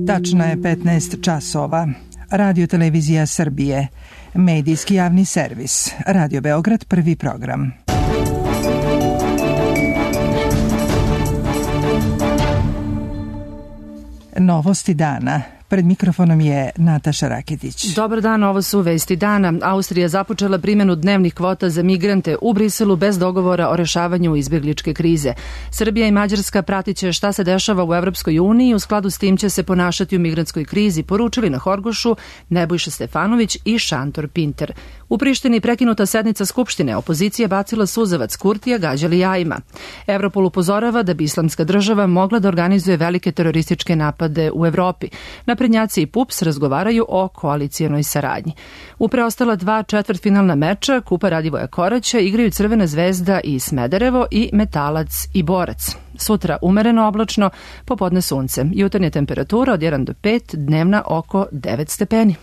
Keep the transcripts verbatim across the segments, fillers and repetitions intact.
Tačno je petnaest časova. Radio Televizija Srbije. Medijski javni servis. Radio Beograd, prvi program. Novosti dana. Pred mikrofonom je Nataša Raketić. Dobar dan, ovo su vesti dana. Austrija započela primjenu dnevnih kvota za migrante u Briselu bez dogovora o rešavanju izbjegličke krize. Srbija i Mađarska pratit će šta se dešava u Evropskoj uniji, u skladu s tim će se ponašati u migrantskoj krizi, poručili na Horgošu Nebojša Stefanović i Šantor Pinter. U Prištini prekinuta sednica Skupštine, opozicija bacila suzavac, Kurtija gađali jajima. Europol upozorava da bi Islamska država mogla da organizuje velike terorističke napade u Evropi. Naprednjaci i P U P S razgovaraju o koalicijonoj saradnji. U preostala dva četvrtfinalna meča Kupa Radivoja Koraća igraju Crvena zvezda i Smederevo i Metalac i Borac. Sutra umereno oblačno, popodne sunce. Jutarnja temperatura od jedan do pet, dnevna oko devet stepeni.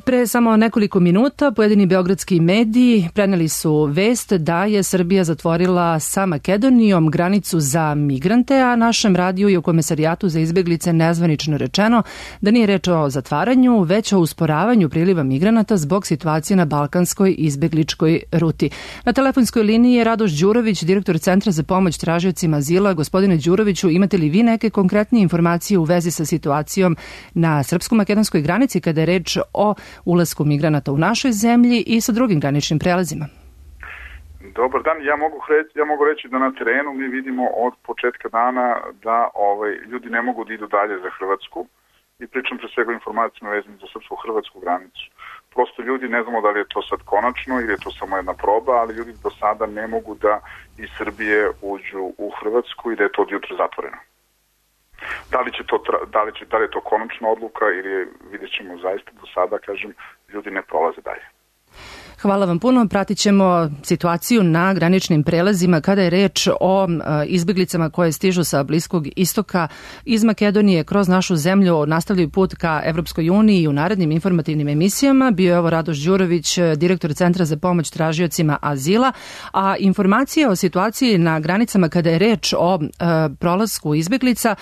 Pre samo nekoliko minuta pojedini beogradski mediji preneli su vest da je Srbija zatvorila sa Makedonijom granicu za migrante, a našem radiju i u Komesarijatu za izbjeglice nezvanično rečeno da nije reč o zatvaranju, već o usporavanju priliva migranata zbog situacije na balkanskoj izbjegličkoj ruti. Na telefonskoj liniji je Radoš Đurović, direktor Centra za pomoć tražiocima azila. Gospodine Đuroviću, imate li vi neke konkretnije informacije u vezi sa situacijom na srpsko-makedonskoj granici kada je reč o ulasku migranata u našoj zemlji i sa drugim graničnim prelazima? Dobar dan, ja mogu, reći, ja mogu reći da na terenu mi vidimo od početka dana da ovaj, ljudi ne mogu da idu dalje za Hrvatsku i pričam pre svega informacijama vezanim za srpsko-hrvatsku granicu. Prosto ljudi, ne znamo da li je to sad konačno ili je to samo jedna proba, ali ljudi do sada ne mogu da iz Srbije uđu u Hrvatsku i da je to od jutra zatvoreno. Da li će to, da li će, da li je to konačna odluka ili vidjet ćemo zaista do sada, kažem, ljudi ne prolaze dalje. Hvala vam puno. Pratit ćemo situaciju na graničnim prelazima kada je reč o izbjeglicama koje stižu sa Bliskog istoka iz Makedonije kroz našu zemlju, nastavljaju put ka Evropskoj uniji i u narednim informativnim emisijama. Bio je ovo Radoš Đurović, direktor Centra za pomoć tražiocima azila, a informacije o situaciji na granicama kada je reč o e, prolasku izbjeglica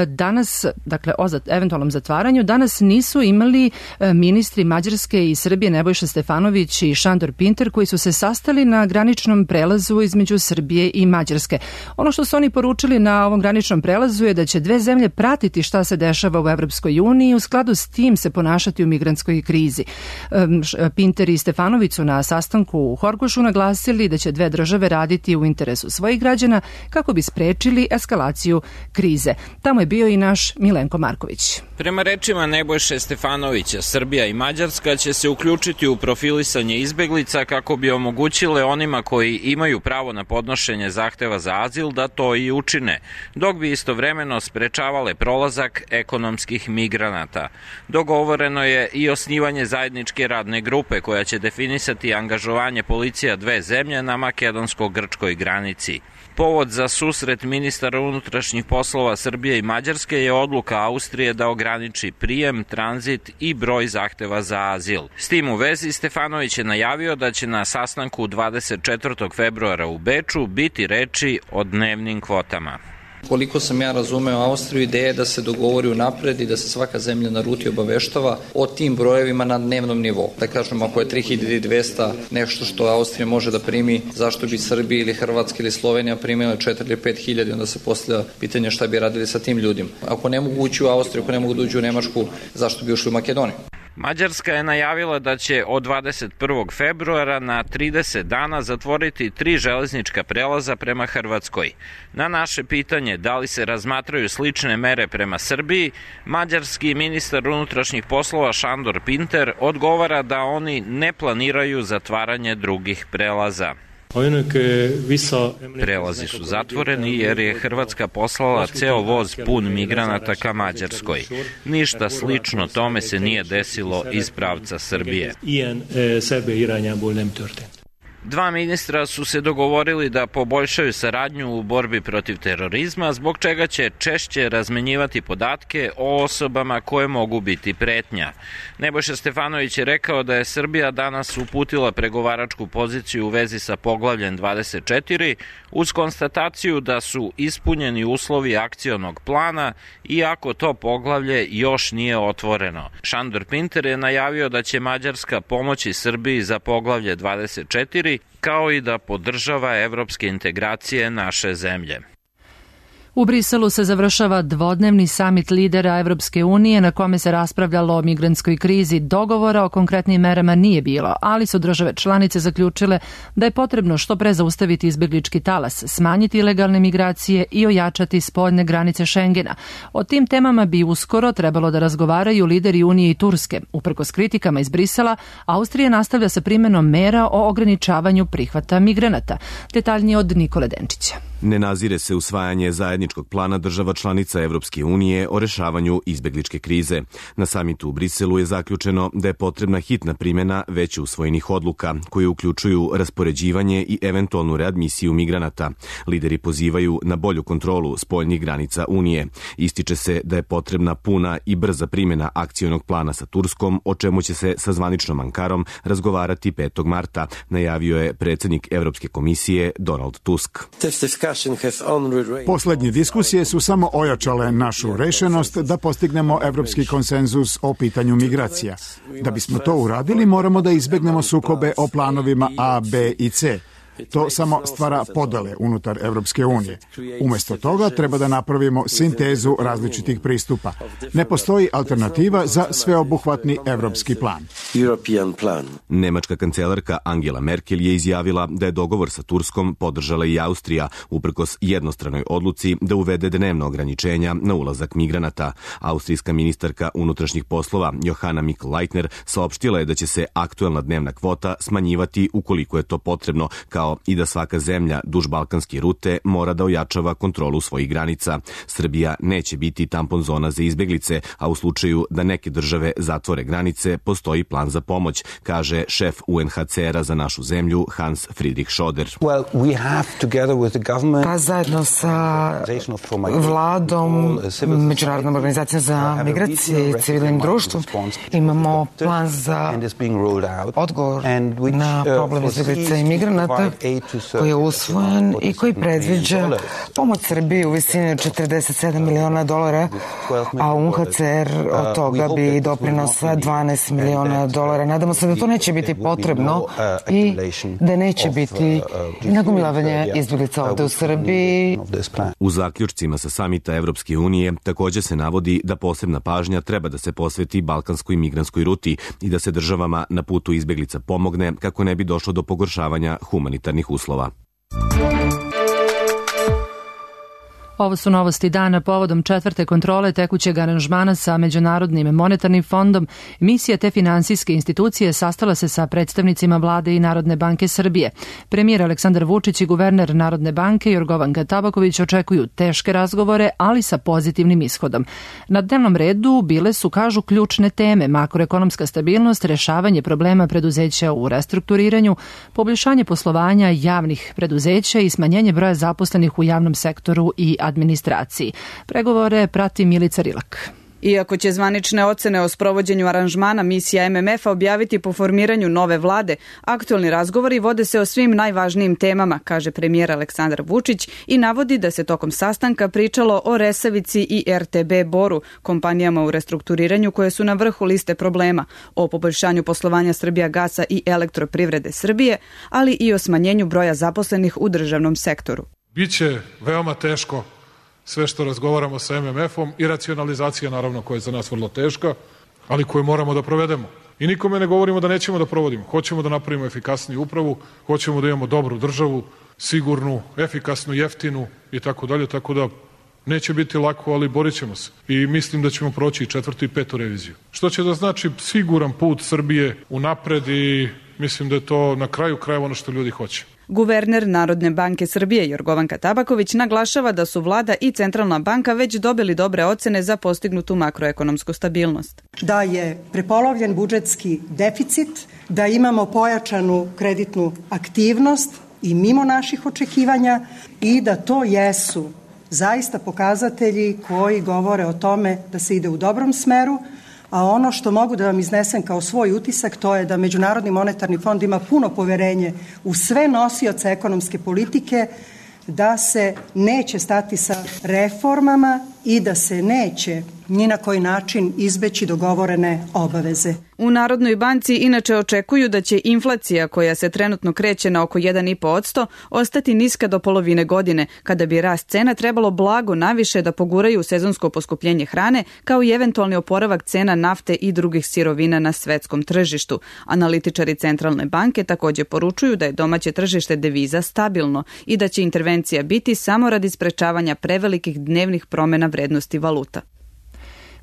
danas, dakle o zat, eventualnom zatvaranju, danas nisu imali e, ministri Mađarske i Srbije Nebojša Stefanović i Šantor Pinter, koji su se sastali na graničnom prelazu između Srbije i Mađarske. Ono što su oni poručili na ovom graničnom prelazu je da će dve zemlje pratiti šta se dešava u Evropskoj uniji i u skladu s tim se ponašati u migrantskoj krizi. Pinter i Stefanović su na sastanku u Horgošu naglasili da će dve države raditi u interesu svojih građana kako bi sprečili eskalaciju krize. Tamo je bio i naš Milenko Marković. Prema rečima Nebojše Stefanovića, Srbija i Mađarska će se uključiti u profilisanje izbeglica kako bi omogućile onima koji imaju pravo na podnošenje zahteva za azil da to i učine, dok bi istovremeno sprečavale prolazak ekonomskih migranata. Dogovoreno je i osnivanje zajedničke radne grupe koja će definisati angažovanje policija dve zemlje na makedonsko-grčkoj granici. Povod za susret ministara unutrašnjih poslova Srbije i Mađarske je odluka Austrije da ograniči prijem, tranzit i broj zahteva za azil. S tim u vezi Stefanović je najavio da će na sastanku dvadeset četvrtog februara u Beču biti reči o dnevnim kvotama. Koliko sam ja razumeo Austriju, ideja je da se dogovori unapred i da se svaka zemlja na ruti obaveštava o tim brojevima na dnevnom nivou. Da kažem, ako je tri hiljade dvesta nešto što Austrija može da primi, zašto bi Srbija ili Hrvatska ili Slovenija primila četiri ili pet hiljada, onda se postavlja pitanje šta bi radili sa tim ljudima. Ako ne mogu ući u Austriju, ako ne mogu da uđu u Nemačku, zašto bi ušli u Makedoniju? Mađarska je najavila da će od dvadeset prvog februara na trideset dana zatvoriti tri železnička prelaza prema Hrvatskoj. Na naše pitanje da li se razmatraju slične mere prema Srbiji, mađarski ministar unutrašnjih poslova Šantor Pinter odgovara da oni ne planiraju zatvaranje drugih prelaza. Prelazi su zatvoreni jer je Hrvatska poslala ceo voz pun migranata ka Mađarskoj. Ništa slično tome se nije desilo iz pravca Srbije. Dva ministra su se dogovorili da poboljšaju saradnju u borbi protiv terorizma, zbog čega će češće razmenjivati podatke o osobama koje mogu biti pretnja. Nebojša Stefanović je rekao da je Srbija danas uputila pregovaračku poziciju u vezi sa poglavljem dvadeset četiri uz konstataciju da su ispunjeni uslovi akcionog plana, iako to poglavlje još nije otvoreno. Šandor Pinter je najavio da će Mađarska pomoći Srbiji za poglavlje dvadeset četiri, kao i da podržava evropske integracije naše zemlje. U Briselu se završava dvodnevni samit lidera Evropske unije na kome se raspravljalo o migrantskoj krizi. Dogovora o konkretnim merama nije bilo, ali su države članice zaključile da je potrebno što pre zaustaviti izbeglički talas, smanjiti ilegalne migracije i ojačati spoljne granice Šengena. O tim temama bi uskoro trebalo da razgovaraju lideri Unije i Turske. Uprkos kritikama iz Brisela, Austrija nastavlja sa primenom mera o ograničavanju prihvata migranata. Detaljnije od Nikole Denčića. Ne nazire se usvajanje zajedničkog plana država članica Evropske unije o rešavanju izbegličke krize. Na samitu u Briselu je zaključeno da je potrebna hitna primjena već usvojenih odluka, koje uključuju raspoređivanje i eventualnu readmisiju migranata. Lideri pozivaju na bolju kontrolu spoljnih granica Unije. Ističe se da je potrebna puna i brza primjena akcionog plana sa Turskom, o čemu će se sa zvaničnom Ankarom razgovarati petog marta, najavio je predsjednik Evropske komisije Donald Tusk. Poslednje diskusije su samo ojačale našu rešenost da postignemo evropski konsenzus o pitanju migracija. Da bismo to uradili, moramo da izbegnemo sukobe o planovima A, B i C. To samo stvara podele unutar Evropske unije. Umesto toga treba da napravimo sintezu različitih pristupa. Ne postoji alternativa za sveobuhvatni evropski plan. Nemačka kancelarka Angela Merkel je izjavila da je dogovor sa Turskom podržala i Austrija, uprkos jednostranoj odluci da uvede dnevno ograničenja na ulazak migranata. Austrijska ministarka unutrašnjih poslova Johanna Mikl-Leitner saopštila je da će se aktuelna dnevna kvota smanjivati ukoliko je to potrebno, kao i da svaka zemlja duž balkanske rute mora da ojačava kontrolu svojih granica. Srbija neće biti tampon zona za izbeglice, a u slučaju da neke države zatvore granice, postoji plan za pomoć, kaže šef U N H C R-a za našu zemlju Hans Friedrich Schoder. Pa zajedno sa vladom, Međunarodnom organizacijom za migracije i civilnim društvom imamo plan za odgovor na problem izbeglica i migranata koji je usvojen i koji predviđa pomoć Srbiji u visini od četrdeset sedam miliona dolara, a U N H C R od toga bi doprinosa dvanaest miliona dolara. Nadamo se da to neće biti potrebno i da neće biti nagomilavanje izbeglica ovde u Srbiji. U zaključcima sa samita Evropske unije također se navodi da posebna pažnja treba da se posveti balkanskoj migrantskoj ruti i da se državama na putu izbeglica pomogne kako ne bi došlo do pogoršavanja humanitarnih uslova. Ovo su novosti dana povodom četvrte kontrole tekućeg aranžmana sa Međunarodnim monetarnim fondom. Misija te finansijske institucije sastala se sa predstavnicima vlade i Narodne banke Srbije. Premijer Aleksandar Vučić i guverner Narodne banke Jorgovanka Tabaković očekuju teške razgovore, ali sa pozitivnim ishodom. Na dnevnom redu bile su, kažu, ključne teme: makroekonomska stabilnost, rešavanje problema preduzeća u restrukturiranju, poboljšanje poslovanja javnih preduzeća i smanjenje broja zaposlenih u javnom sektoru i administraciji. Pregovore prati Milica Rilak. Iako će zvanične ocene o sprovođenju aranžmana misija M M F-a objaviti po formiranju nove vlade, aktuelni razgovori vode se o svim najvažnijim temama, kaže premijer Aleksandar Vučić i navodi da se tokom sastanka pričalo o Resavici i R T B Boru, kompanijama u restrukturiranju koje su na vrhu liste problema, o poboljšanju poslovanja Srbijagasa i Elektroprivrede Srbije, ali i o smanjenju broja zaposlenih u državnom sektoru. Biće veoma teško sve što razgovaramo sa M M F-om i racionalizacija, naravno, koja je za nas vrlo teška, ali koju moramo da provedemo. I nikome ne govorimo da nećemo da provodimo. Hoćemo da napravimo efikasniju upravu, hoćemo da imamo dobru državu, sigurnu, efikasnu, jeftinu i tako dalje, tako da neće biti lako, ali borit ćemo se. I mislim da ćemo proći i četvrtu i petu reviziju. Što će da znači siguran put Srbije u napred i mislim da je to na kraju krajeva ono što ljudi hoće. Guverner Narodne banke Srbije Jorgovanka Tabaković naglašava da su vlada i centralna banka već dobili dobre ocene za postignutu makroekonomsku stabilnost. Da je prepolovljen budžetski deficit, da imamo pojačanu kreditnu aktivnost i mimo naših očekivanja i da to jesu zaista pokazatelji koji govore o tome da se ide u dobrom smeru, a ono što mogu da vam iznesem kao svoj utisak to je da Međunarodni monetarni fond ima puno poverenje u sve nosioce ekonomske politike, da se neće stati sa reformama i da se neće ni na koji način izbeći dogovorene obaveze. U Narodnoj banci inače očekuju da će inflacija, koja se trenutno kreće na oko jedan zarez pet posto, ostati niska do polovine godine, kada bi rast cena trebalo blago naviše da poguraju sezonsko poskupljenje hrane, kao i eventualni oporavak cena nafte i drugih sirovina na svetskom tržištu. Analitičari Centralne banke takođe poručuju da je domaće tržište deviza stabilno i da će intervencija biti samo radi sprečavanja prevelikih dnevnih promena vrednosti valuta.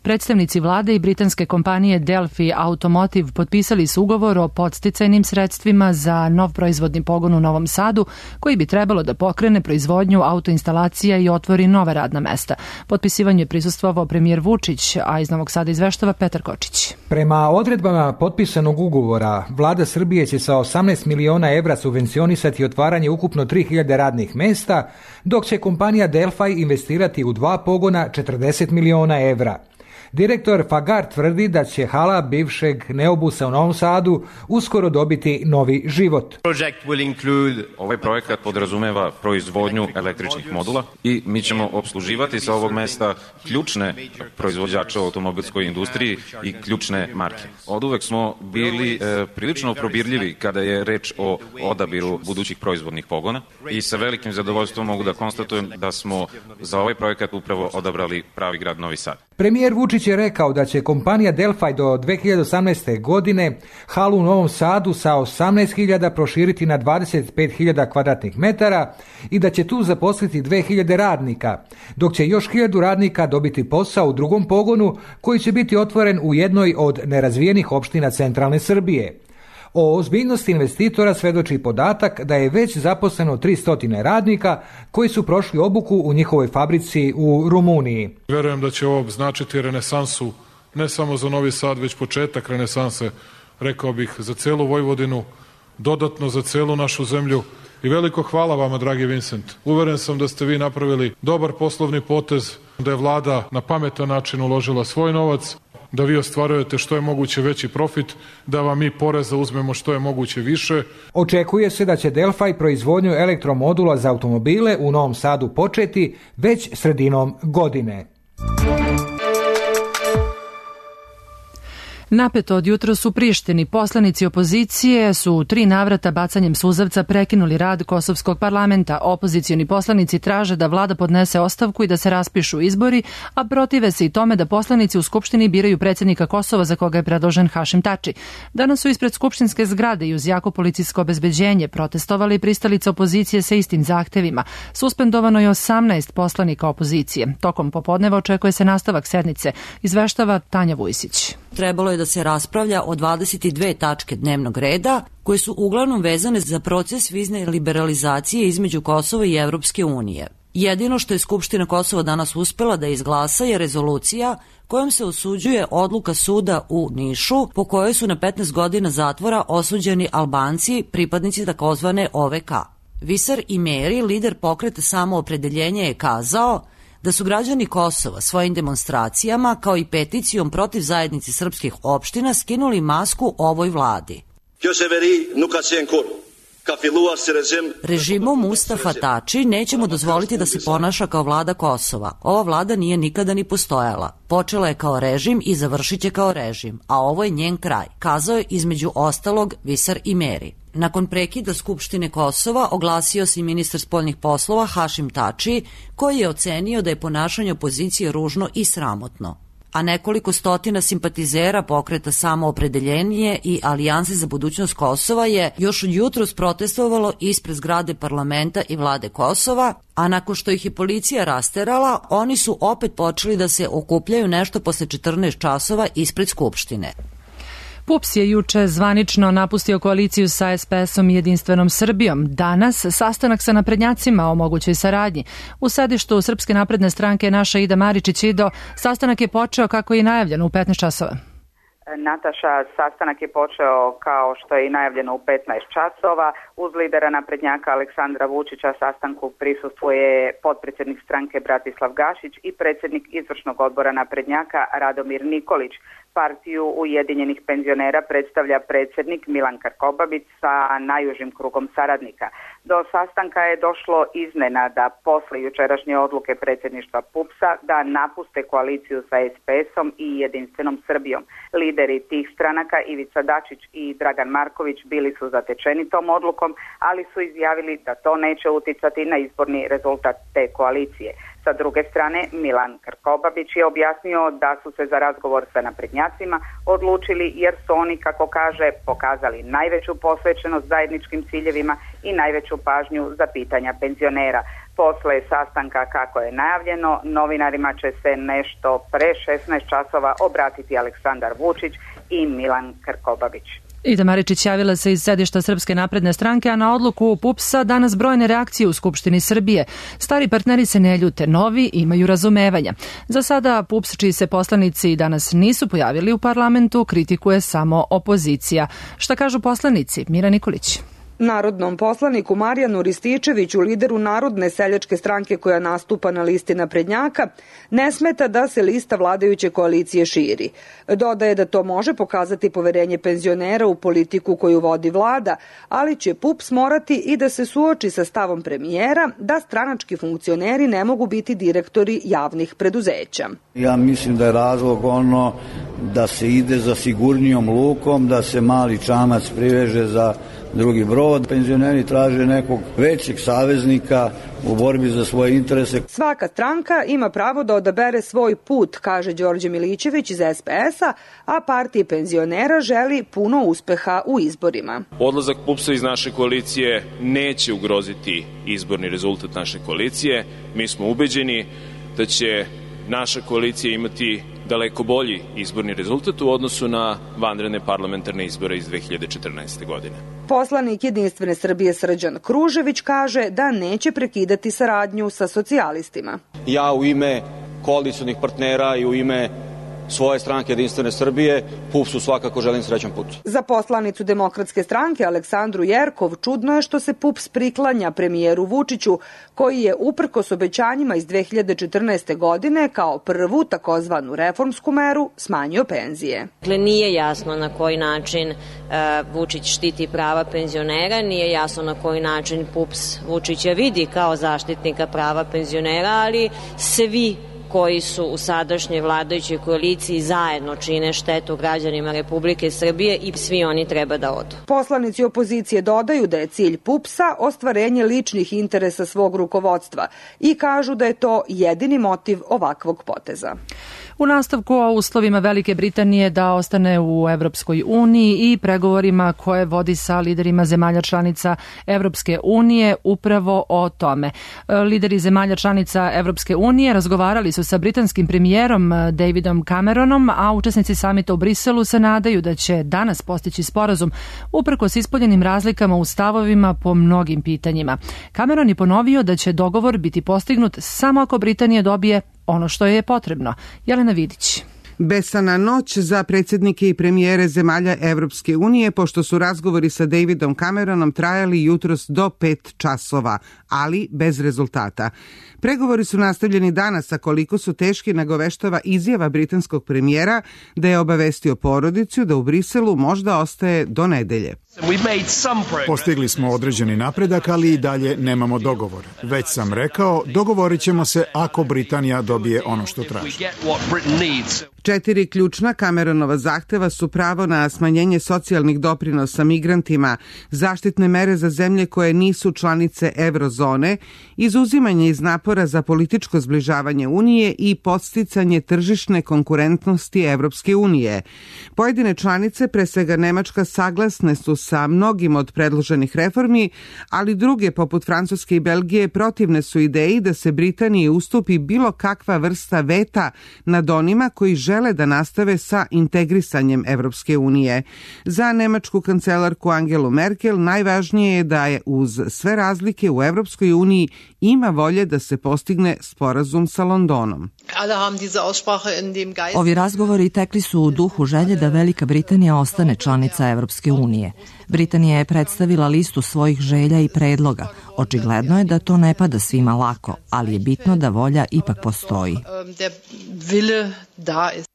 Predstavnici vlade i britanske kompanije Delphi Automotive potpisali su ugovor o podsticajnim sredstvima za nov proizvodni pogon u Novom Sadu, koji bi trebalo da pokrene proizvodnju autoinstalacija i otvori nova radna mesta. Potpisivanju je prisustvovao premijer Vučić, a iz Novog Sada izveštava Petar Kočić. Prema odredbama potpisanog ugovora, vlada Srbije će sa osamnaest miliona evra subvencionisati otvaranje ukupno tri hiljade radnih mesta, dok će kompanija Delphi investirati u dva pogona četrdeset miliona evra. Direktor Fagar tvrdi da će hala bivšeg Neobusa u Novom Sadu uskoro dobiti novi život. Ovaj projekat podrazumeva proizvodnju električnih modula i mi ćemo obsluživati sa ovog mesta ključne proizvođače u automobilskoj industriji i ključne marke. Od uvek smo bili e, prilično probirljivi kada je reč o odabiru budućih proizvodnih pogona i sa velikim zadovoljstvom mogu da konstatujem da smo za ovaj projekat upravo odabrali pravi grad Novi Sad. Premijer Vučić je rekao da će kompanija Delphi do dve hiljade osamnaeste. godine halu u Novom Sadu sa osamnaest hiljada proširiti na dvadeset pet hiljada kvadratnih metara i da će tu zaposliti dve hiljade radnika, dok će još hiljadu radnika dobiti posao u drugom pogonu koji će biti otvoren u jednoj od nerazvijenih opština centralne Srbije. O ozbiljnosti investitora svedoči podatak da je već zaposleno tristo radnika koji su prošli obuku u njihovoj fabrici u Rumuniji. Verujem da će ovo značiti renesansu ne samo za Novi Sad, već početak renesanse, rekao bih, za celu Vojvodinu, dodatno za celu našu zemlju. I veliko hvala vama, dragi Vincent. Uveren sam da ste vi napravili dobar poslovni potez, da je vlada na pametan način uložila svoj novac, da vi ostvarujete što je moguće veći profit, da vam mi poreza uzmemo što je moguće više. Očekuje se da će Delphi proizvodnju elektromodula za automobile u Novom Sadu početi već sredinom godine. Napeto od jutros u Prištini poslanici opozicije su u tri navrata bacanjem suzavca prekinuli rad kosovskog parlamenta. Opozicioni poslanici traže da vlada podnese ostavku i da se raspišu izbori, a protive se i tome da poslanici u Skupštini biraju predsjednika Kosova za koga je predložen Hašim Tači. Danas su ispred skupštinske zgrade i uz jako policijsko obezbeđenje protestovali pristalice opozicije sa istim zahtevima. Suspendovano je osamnaest poslanika opozicije. Tokom popodneva očekuje se nastavak sednice, izveštava Tanja Vujsić. Trebalo je da se raspravlja o dvadeset dve tačke dnevnog reda, koje su uglavnom vezane za proces vizne liberalizacije između Kosova i Evropske unije. Jedino što je Skupština Kosova danas uspela da izglasa je rezolucija kojom se osuđuje odluka suda u Nišu, po kojoj su na petnaest godina zatvora osuđeni Albanci, pripadnici takozvane O V K. Visar Imeri, lider pokreta Samoopredeljenje, je kazao da su građani Kosova svojim demonstracijama kao i peticijom protiv zajednice srpskih opština skinuli masku ovoj vladi. Režimom Mustafa Tači nećemo dozvoliti da se ponaša kao vlada Kosova. Ova vlada nije nikada ni postojala. Počela je kao režim i završit će kao režim, a ovo je njen kraj, kazao je između ostalog Visar Imeri. Nakon prekida Skupštine Kosova oglasio se i ministar spoljnih poslova Hašim Tači, koji je ocenio da je ponašanje opozicije ružno i sramotno. A nekoliko stotina simpatizera pokreta Samoopredeljenje i Alijanse za budućnost Kosova je još od jutros protestovalo ispred zgrade parlamenta i vlade Kosova, a nakon što ih je policija rasterala, oni su opet počeli da se okupljaju nešto posle četrnaest časova ispred Skupštine. PUPS je juče zvanično napustio koaliciju sa es pe esom i Jedinstvenom Srbijom. Danas sastanak sa naprednjacima o mogućoj saradnji. U sedištu Srpske napredne stranke naša Ida Maričić. Ido, sastanak je počeo kako je i najavljeno u petnaest časova. Nataša, sastanak je počeo kao što je i najavljeno u petnaest časova. Uz lidera naprednjaka Aleksandra Vučića sastanku prisustvuje potpredsjednik stranke Bratislav Gašić i predsjednik izvršnog odbora naprednjaka Radomir Nikolić. Partiju Ujedinjenih penzionera predstavlja predsjednik Milan Krkobabić sa najužim krugom saradnika. Do sastanka je došlo iznenada posle jučerašnje odluke predsjedništva PUPS-a da napuste koaliciju sa es pe esom i Jedinstvenom Srbijom. Lideri tih stranaka Ivica Dačić i Dragan Marković bili su zatečeni tom odlukom, ali su izjavili da to neće uticati na izborni rezultat te koalicije. Sa druge strane, Milan Krkobabić je objasnio da su se za razgovor sa naprednjacima odlučili jer su oni, kako kaže, pokazali najveću posvećenost zajedničkim ciljevima i najveću pažnju za pitanja penzionera. Posle sastanka, kako je najavljeno, novinarima će se nešto pre šesnaest časova obratiti Aleksandar Vučić i Milan Krkobabić. Ida Maričić javila se iz sedišta Srpske napredne stranke, a na odluku PUPS-a danas brojne reakcije u Skupštini Srbije. Stari partneri se ne ljute, novi imaju razumevanja. Za sada PUPS, čiji se poslanici danas nisu pojavili u parlamentu, kritikuje samo opozicija. Šta kažu poslanici? Mira Nikolić. Narodnom poslaniku Marijanu Rističeviću, lideru Narodne seljačke stranke koja nastupa na listi naprednjaka, ne smeta da se lista vladajuće koalicije širi. Dodaje da to može pokazati poverenje penzionera u politiku koju vodi vlada, ali će PUPS morati i da se suoči sa stavom premijera da stranački funkcioneri ne mogu biti direktori javnih preduzeća. Ja mislim da je razlog ono da se ide za sigurnijom lukom, da se mali čamac priveže za drugi brod. Penzioneri traže nekog većeg saveznika u borbi za svoje interese. Svaka stranka ima pravo da odabere svoj put, kaže Đorđe Milićević iz es pe esa, a partija penzionera želi puno uspeha u izborima. Odlazak PUPS-a iz naše koalicije neće ugroziti izborni rezultat naše koalicije. Mi smo ubeđeni da će naša koalicija imati daleko bolji izborni rezultat u odnosu na vanredne parlamentarne izbore iz dve hiljade četrnaeste. godine. Poslanik Jedinstvene Srbije Srđan Kružević kaže da neće prekidati saradnju sa socijalistima. Ja u ime koalicionih partnera i u ime svoje stranke Jedinstvene Srbije PUPS-u svakako želim srećan put. Za poslanicu Demokratske stranke Aleksandru Jerkov čudno je što se PUPS priklanja premijeru Vučiću, koji je uprkos obećanjima iz dve hiljade četrnaeste. godine kao prvu takozvanu reformsku meru smanjio penzije. Dakle, nije jasno na koji način uh, Vučić štiti prava penzionera, nije jasno na koji način PUPS Vučića vidi kao zaštitnika prava penzionera, ali svi koji su u sadašnjoj vladajućoj koaliciji zajedno čine štetu građanima Republike Srbije i svi oni treba da odu. Poslanici opozicije dodaju da je cilj PUPS-a ostvarenje ličnih interesa svog rukovodstva i kažu da je to jedini motiv ovakvog poteza. U nastavku o uslovima Velike Britanije da ostane u Evropskoj uniji i pregovorima koje vodi sa liderima zemalja članica Evropske unije upravo o tome. Lideri zemalja članica Evropske unije razgovarali su sa britanskim premijerom Davidom Cameronom, a učesnici samita u Briselu se nadaju da će danas postići sporazum uprkos ispoljenim razlikama u stavovima po mnogim pitanjima. Cameron je ponovio da će dogovor biti postignut samo ako Britanija dobije ono što je potrebno. Jelena Vidić. Besana noć za predsjednike i premijere zemalja Evropske unije, pošto su razgovori sa Davidom Cameronom trajali jutros do pet časova, ali bez rezultata. Pregovori su nastavljeni danas, a koliko su teški nagoveštava izjava britanskog premijera da je obavestio porodicu da u Briselu možda ostaje do nedelje. Postigli smo određeni napredak, ali i dalje nemamo dogovor. Već sam rekao, dogovorit ćemo se ako Britanija dobije ono što traži. Četiri ključna Cameronova zahteva su pravo na smanjenje socijalnih doprinosa migrantima, zaštitne mere za zemlje koje nisu članice eurozone, izuzimanje iz napora za političko zbližavanje Unije i podsticanje tržišne konkurentnosti Evropske unije. Pojedine članice, pre svega Nemačka, saglasne su sa mnogim od predloženih reformi, ali druge, poput Francuske i Belgije, protivne su ideji da se Britaniji ustupi bilo kakva vrsta veta nad onima koji žele žele da nastave sa integrisanjem Evropske unije. Za nemačku kancelarku Angelu Merkel najvažnije je da je uz sve razlike u Evropskoj uniji ima volje da se postigne sporazum sa Londonom. Ovi razgovori tekli su u duhu želje da Velika Britanija ostane članica Evropske unije. Britanija je predstavila listu svojih želja i predloga. Očigledno je da to ne pada svima lako, ali je bitno da volja ipak postoji.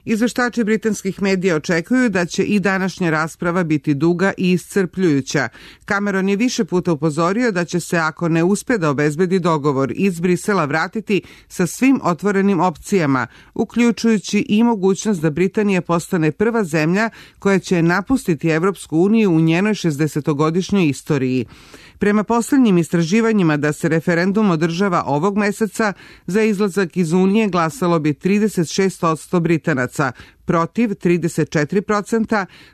Izveštači britanskih medija očekuju da će i današnja rasprava biti duga i iscrpljujuća. Cameron je više puta upozorio da će se, ako ne uspe da obezbedi dogovor, iz Brisela vratiti sa svim otvorenim opcijama, uključujući i mogućnost da Britanija postane prva zemlja koja će napustiti Evropsku uniju u njenoj šezdesetogodišnjoj istoriji. Prema poslednjim istraživanjima da se referendum održava ovog meseca, za izlazak iz Unije glasalo bi trideset šest posto Britanaca, protiv trideset četiri posto,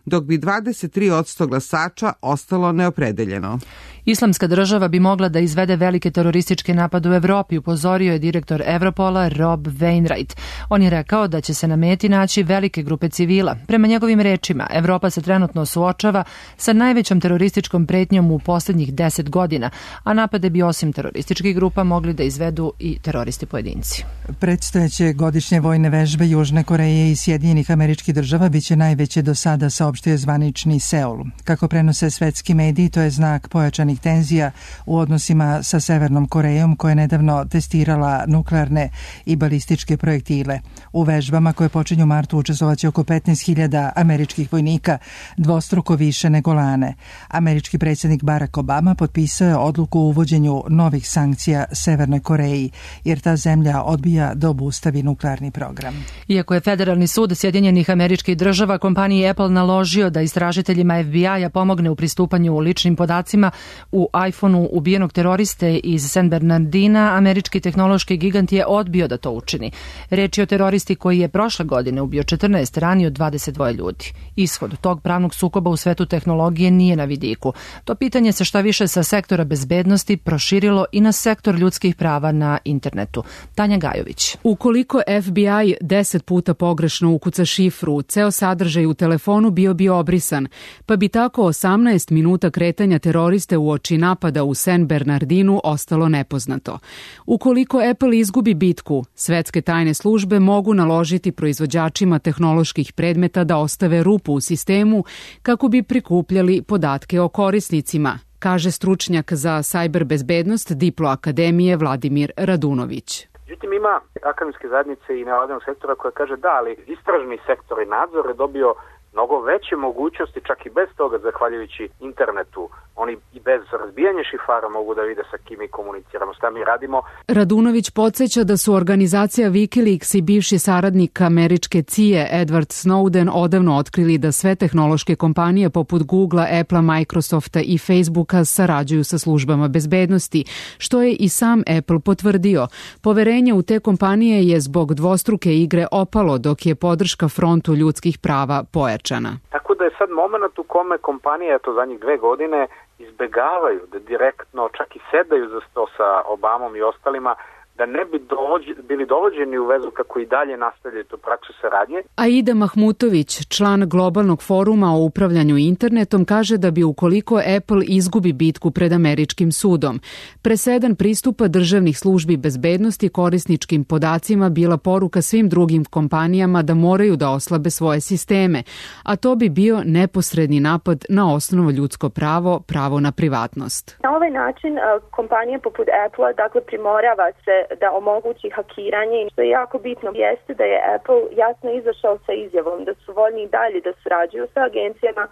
dok bi dvadeset tri posto glasača ostalo neopredeljeno. Islamska država bi mogla da izvede velike terorističke napade u Evropi, upozorio je direktor Evropola Rob Wainwright. On je rekao da će se na meti naći velike grupe civila. Prema njegovim rečima, Evropa se trenutno suočava sa najvećom terorističkom pretnjom u poslednjih deset godina, a napade bi osim terorističkih grupa mogli da izvedu i teroristi pojedinci. Predstojeće godišnje vojne vežbe Južne Koreje i Sjedinjenih Američkih Država biće najveće do sada, saopštio zvanični Seul. Kako prenose svetski mediji, to je znak pojačanih tenzija u odnosima sa Severnom Korejom, koja je nedavno testirala nuklearne i balističke projektile. U vežbama koje počinju u martu učestvovaće oko petnaest hiljada američkih vojnika, dvostruko više nego lane. Američki predsjednik Barack Obama potpisao je odluku o uvođenju novih sankcija Severnoj Koreji, jer ta zemlja odbija da obustavi nuklearni program. Iako je Federalni sud Sjedinjenih Američkih Država kompaniji Apple naložio da istražiteljima F B I-a pomogne u pristupanju ličnim podacima u iPhoneu ubijenog teroriste iz San Bernardina, američki tehnološki gigant je odbio da to učini. Reč je o teroristi koji je prošle godine ubio četrnaest, ranio dvadeset dva ljudi. Ishod tog pravnog sukoba u svetu tehnologije nije na vidiku. To pitanje se šta više sa sektora bezbednosti proširilo i na sektor ljudskih prava na internetu. Tanja Gajović. Ukoliko F B I deset puta pogrešno ukuca šifru, ceo sadržaj u telefonu bio bi obrisan, pa bi tako osamnaest minuta kretanja teroriste u oči napada u San Bernardinu ostalo nepoznato. Ukoliko Apple izgubi bitku, svetske tajne službe mogu naložiti proizvođačima tehnoloških predmeta da ostave rupu u sistemu kako bi prikupljali podatke o korisnicima, kaže stručnjak za cyber bezbednost Diplo akademije Vladimir Radunović. Međutim, ima akademske zajednice i nevladinog sektora koja kaže da, ali istražni sektor i nadzor je dobio mnogo veće mogućnosti, čak i bez toga, zahvaljujući internetu. Oni i bez razbijanja šifara mogu da vide sa kim mi komuniciramo, šta mi radimo. Radunović podsjeća da su organizacija Wikileaks i bivši saradnik američke C I A Edward Snowden odavno otkrili da sve tehnološke kompanije poput Googlea, Applea, Microsofta i Facebooka sarađuju sa službama bezbednosti, što je i sam Apple potvrdio. Poverenje u te kompanije je zbog dvostruke igre opalo, dok je podrška frontu ljudskih prava pojačana. Tako da je sad moment u kome kompanije, to zadnjih dve godine, izbegavaju da direktno čak i sedaju za sto sa Obamom i ostalima, da ne bi dođi, bili dovođeni u vezu kako i dalje nastavljaju tu praksu saradnje. Aida Mahmutović, član globalnog foruma o upravljanju internetom, kaže da bi ukoliko Apple izgubi bitku pred američkim sudom, presedan pristupa državnih službi bezbednosti korisničkim podacima bila poruka svim drugim kompanijama da moraju da oslabe svoje sisteme, a to bi bio neposredni napad na osnovno ljudsko pravo, pravo na privatnost. Na ovaj način kompanija poput Apple, dakle, primorava se da omogući hakiranje, i što je jako bitno jeste da je Apple jasno izašao sa izjavom da su voljni i dalje da surađuju sa agencijama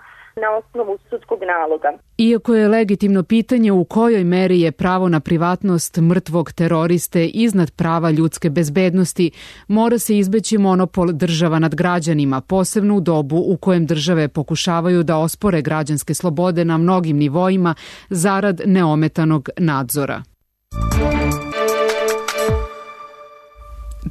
na osnovu sudskog naloga. Iako je legitimno pitanje u kojoj meri je pravo na privatnost mrtvog teroriste iznad prava ljudske bezbednosti, mora se izbeći monopol država nad građanima, posebno u dobu u kojem države pokušavaju da ospore građanske slobode na mnogim nivoima zarad neometanog nadzora.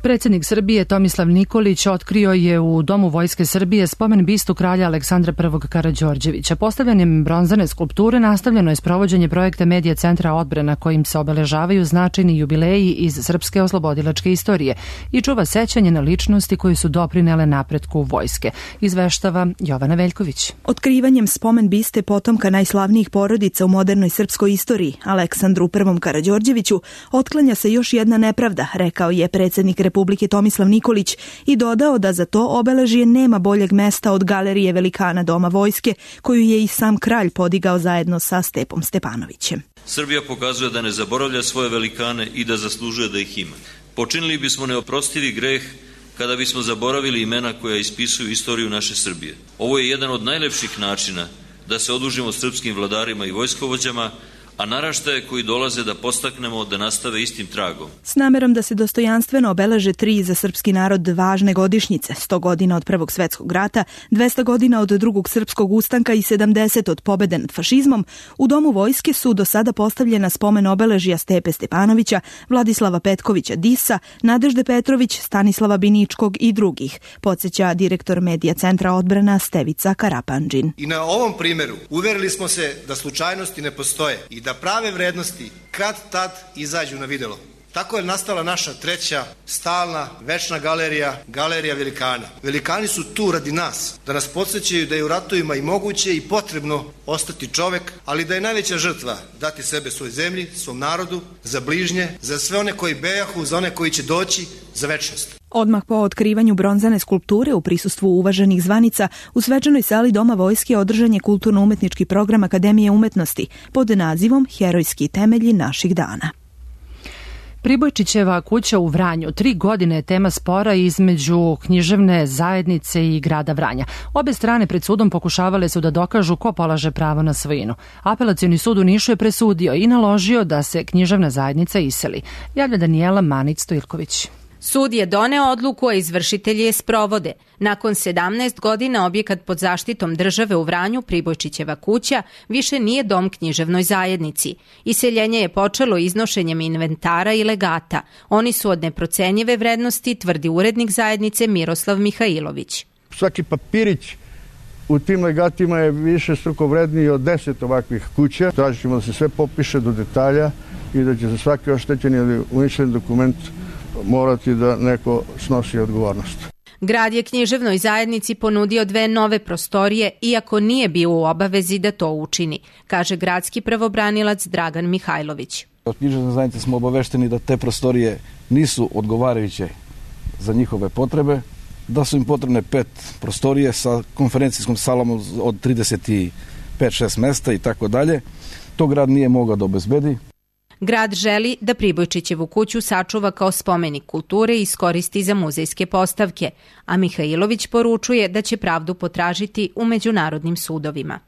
Predsjednik Srbije Tomislav Nikolić otkrio je u Domu Vojske Srbije spomen bistu kralja Aleksandra prvog Karađorđevića. Postavljanjem bronzane skulpture nastavljeno je sprovođenje projekta Medija centra odbrana kojim se obeležavaju značajni jubileji iz srpske oslobodilačke istorije i čuva sećanje na ličnosti koji su doprinele napretku vojske. Izveštava Jovana Veljković. Otkrivanjem spomen biste potomka najslavnijih porodica u modernoj srpskoj istoriji, Aleksandru prvom Karađorđeviću, otklanja se još jedna nepravda, rekao je predsjednik Republike Tomislav Nikolić i dodao da za to obeležje nema boljeg mesta od galerije velikana Doma vojske, koju je i sam kralj podigao zajedno sa Stepom Stepanovićem. Srbija pokazuje da ne zaboravlja svoje velikane i da zaslužuje da ih ima. Počinili bismo neoprostivi greh kada bismo zaboravili imena koja ispisuju istoriju naše Srbije. Ovo je jedan od najlepših načina da se odužimo srpskim vladarima i vojskovođama, a naraštaje koji dolaze da postaknemo da nastave istim tragom. S namerom da se dostojanstveno obeleže tri za srpski narod važne godišnjice, sto godina od Prvog svetskog rata, dvesta godina od Drugog srpskog ustanka i sedamdeset od pobede nad fašizmom, u Domu vojske su do sada postavljena spomen obeležja Stepe Stepanovića, Vladislava Petkovića Disa, Nadežde Petrović, Stanislava Biničkog i drugih, podsjeća direktor Medija centra odbrana Stevica Karapandžin. I na ovom primjeru uverili smo se da slučajnosti ne postoje i da prave vrednosti kad tad izađu na videlo. Tako je nastala naša treća, stalna, večna galerija, galerija velikana. Velikani su tu radi nas, da nas podsjećaju da je u ratovima i moguće i potrebno ostati čovek, ali da je najveća žrtva dati sebe svoj zemlji, svom narodu, za bližnje, za sve one koji bejahu, za one koji će doći, za večnost. Odmah po otkrivanju bronzane skulpture u prisustvu uvaženih zvanica, u svečanoj sali Doma vojske održan je kulturno-umetnički program Akademije umetnosti pod nazivom Herojski temelji naših dana. Pribojčićeva kuća u Vranju tri godine je tema spora između književne zajednice i grada Vranja. Obe strane pred sudom pokušavale su da dokažu ko polaže pravo na svojinu. Apelacioni sud u Nišu je presudio i naložio da se književna zajednica iseli. Javlja Danijela Manić-Stojilković. Sud je doneo odluku, a izvršitelji je sprovode. Nakon sedamnaest godina objekat pod zaštitom države u Vranju, Pribojčićeva kuća, više nije dom književnoj zajednici. Iseljenje je počelo iznošenjem inventara i legata. Oni su od neprocenjive vrednosti, tvrdi urednik zajednice Miroslav Mihajlović. Svaki papirić u tim legatima je više struko vredniji od deset ovakvih kuća. Tražit ćemo da se sve popiše do detalja i da će za svaki oštećeni ili uništen dokument morati da neko snosi odgovornost. Grad je književnoj zajednici ponudio dve nove prostorije, iako nije bio u obavezi da to učini, kaže gradski pravobranilac Dragan Mihajlović. Od književne zajednice smo obavešteni da te prostorije nisu odgovarajuće za njihove potrebe, da su im potrebne pet prostorije sa konferencijskom salom od trideset pet šest mesta i tako dalje. To grad nije mogao da obezbedi. Grad želi da Pribojčićevu kuću sačuva kao spomenik kulture i iskoristi za muzejske postavke, a Mihajlović poručuje da će pravdu potražiti u međunarodnim sudovima.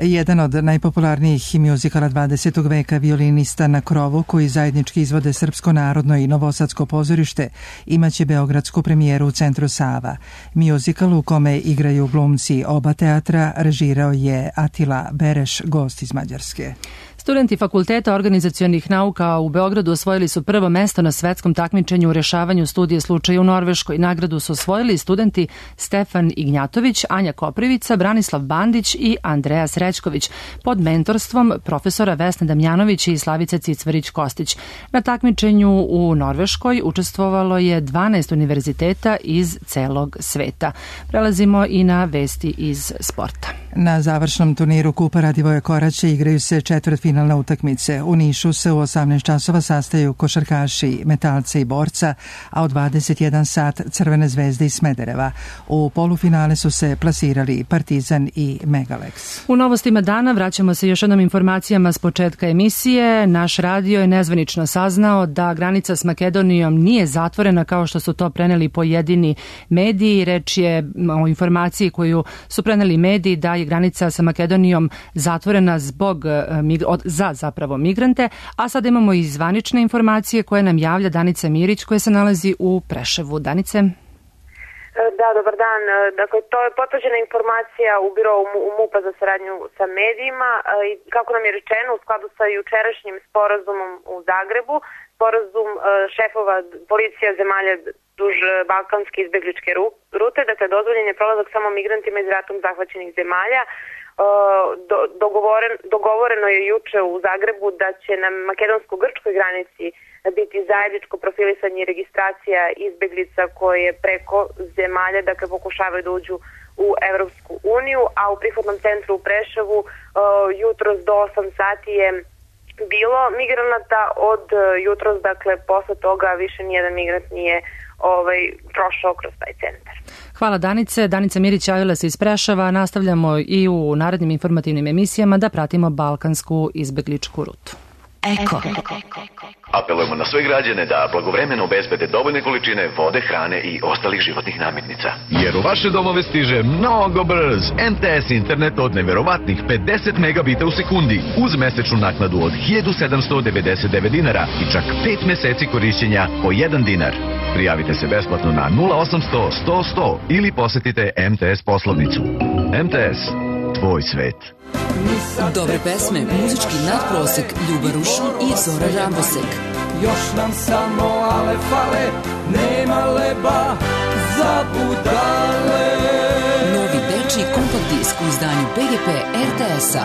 Jedan od najpopularnijih mjuzikala dvadesetog veka, Violinista na krovu, koji zajednički izvode Srpsko narodno i Novosadsko pozorište, imaće beogradsku premijeru u Centru Sava. Mjuzikal u kome igraju glumci oba teatra režirao je Atila Bereš, gost iz Mađarske. Studenti Fakulteta organizacionih nauka u Beogradu osvojili su prvo mesto na svetskom takmičenju u rešavanju studije slučaja u Norveškoj. Nagradu su osvojili studenti Stefan Ignjatović, Anja Koprivica, Branislav Bandić i Andreja Srećković pod mentorstvom profesora Vesne Damjanović i Slavice Cicvarić-Kostić. Na takmičenju u Norveškoj učestvovalo je dvanaest univerziteta iz celog sveta. Prelazimo i na vesti iz sporta. Na završnom turniru Kupa Radivoja Koraća igraju se četvrtfinalne utakmice. U Nišu se u osamnaest časova sastaju košarkaši Metalca i Borca, a u dvadeset jedan sat Crvene zvezde iz Smedereva. U polufinale su se plasirali Partizan i Megalex. U novostima dana vraćamo se još jednom informacijama s početka emisije. Naš radio je nezvanično saznao da granica s Makedonijom nije zatvorena kao što su to preneli pojedini mediji. Reč je o informaciji koju su preneli mediji da je granica sa Makedonijom zatvorena zbog za zapravo migrante, a sada imamo i zvanične informacije koje nam javlja Danica Mirić koja se nalazi u Preševu. Danice? Da, dobar dan. Dakle, to je potvrđena informacija u birovu MUP-a za saradnju sa medijima i kako nam je rečeno, u skladu sa jučerašnjim sporazumom u Zagrebu, sporazum šefova policija zemalja duž balkanske izbegličke rute, dakle dozvoljen je prolazak samo migrantima iz ratom zahvaćenih zemalja. Do, dogovoren, dogovoreno je juče u Zagrebu da će na makedonsko-grčkoj granici biti zajedničko profilisanje i registracija izbeglica koje preko zemalja, dakle, pokušavaju da uđu u Evropsku uniju, a u prihvatnom centru u Preševu jutros do osam sati je bilo migranata. Od jutros, dakle, posle toga više nijedan migrant nije ovaj, prošao kroz taj centar. Hvala Danice. Danica Mirić javila se iz Preševa. Nastavljamo i u narednim informativnim emisijama da pratimo balkansku izbegličku rutu. Eko. Apelujemo na sve građane da blagovremeno obezbede dovoljne količine vode, hrane i ostalih životnih namirnica. Jer u vaše domove stiže mnogo brz M T S internet od neverovatnih pedeset megabita u sekundi uz mesečnu naknadu od hiljadu sedamsto devedeset devet dinara i čak pet meseci korišćenja po jedan dinar. Prijavite se besplatno na nula osamsto sto sto ili posetite M T S poslovnicu. M T S, tvoj svet. Dobre pesme, muzički nadprosek, Ljuba Rušon i Zora Rambosek. Još nam samo ale fale, nema leba za budale. Novi dečiji kompakt disk u izdanju B G P R T S-a.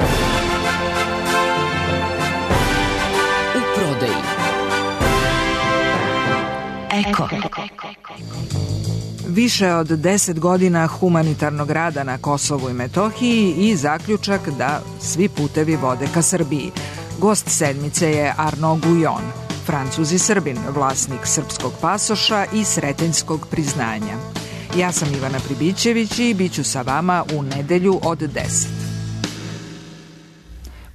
U prodaji. Eko. Više od deset godina humanitarnog rada na Kosovu i Metohiji i zaključak da svi putevi vode ka Srbiji. Gost sedmice je Arno Gujon, Francuz i Srbin, vlasnik srpskog pasoša i sretenjskog priznanja. Ja sam Ivana Pribićević i bit ću sa vama u nedelju od deset.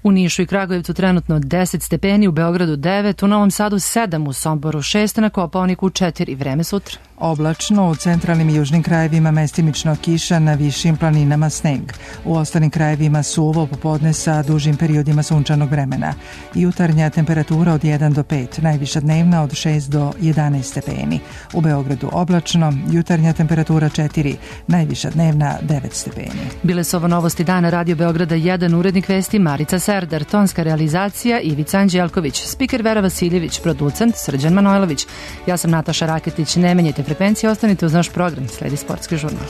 U Nišu i Kragujevcu trenutno deset stepeni, u Beogradu devet, u Novom Sadu sedam, u Somboru šest, na Kopaoniku četiri. Vreme sutra. Oblačno, u centralnim i južnim krajevima mestimično kiša, na višim planinama sneg. U ostalim krajevima suvo popodne sa dužim periodima sunčanog vremena. Jutarnja temperatura od jedan do pet, najviša dnevna od šest do jedanaest stepeni. U Beogradu oblačno, jutarnja temperatura četiri, najviša dnevna devet stepeni. Bile su ovo novosti dana Radio Beograda jedan, urednik vesti Marica Serdar, tonska realizacija Ivica Anđelković, spiker Vera Vasiljević, producent Srđan Manojlović. Ja sam Nataša Raketić, ne menjajte frekvencije, ostanite uz naš program, sledi sportski žurnal.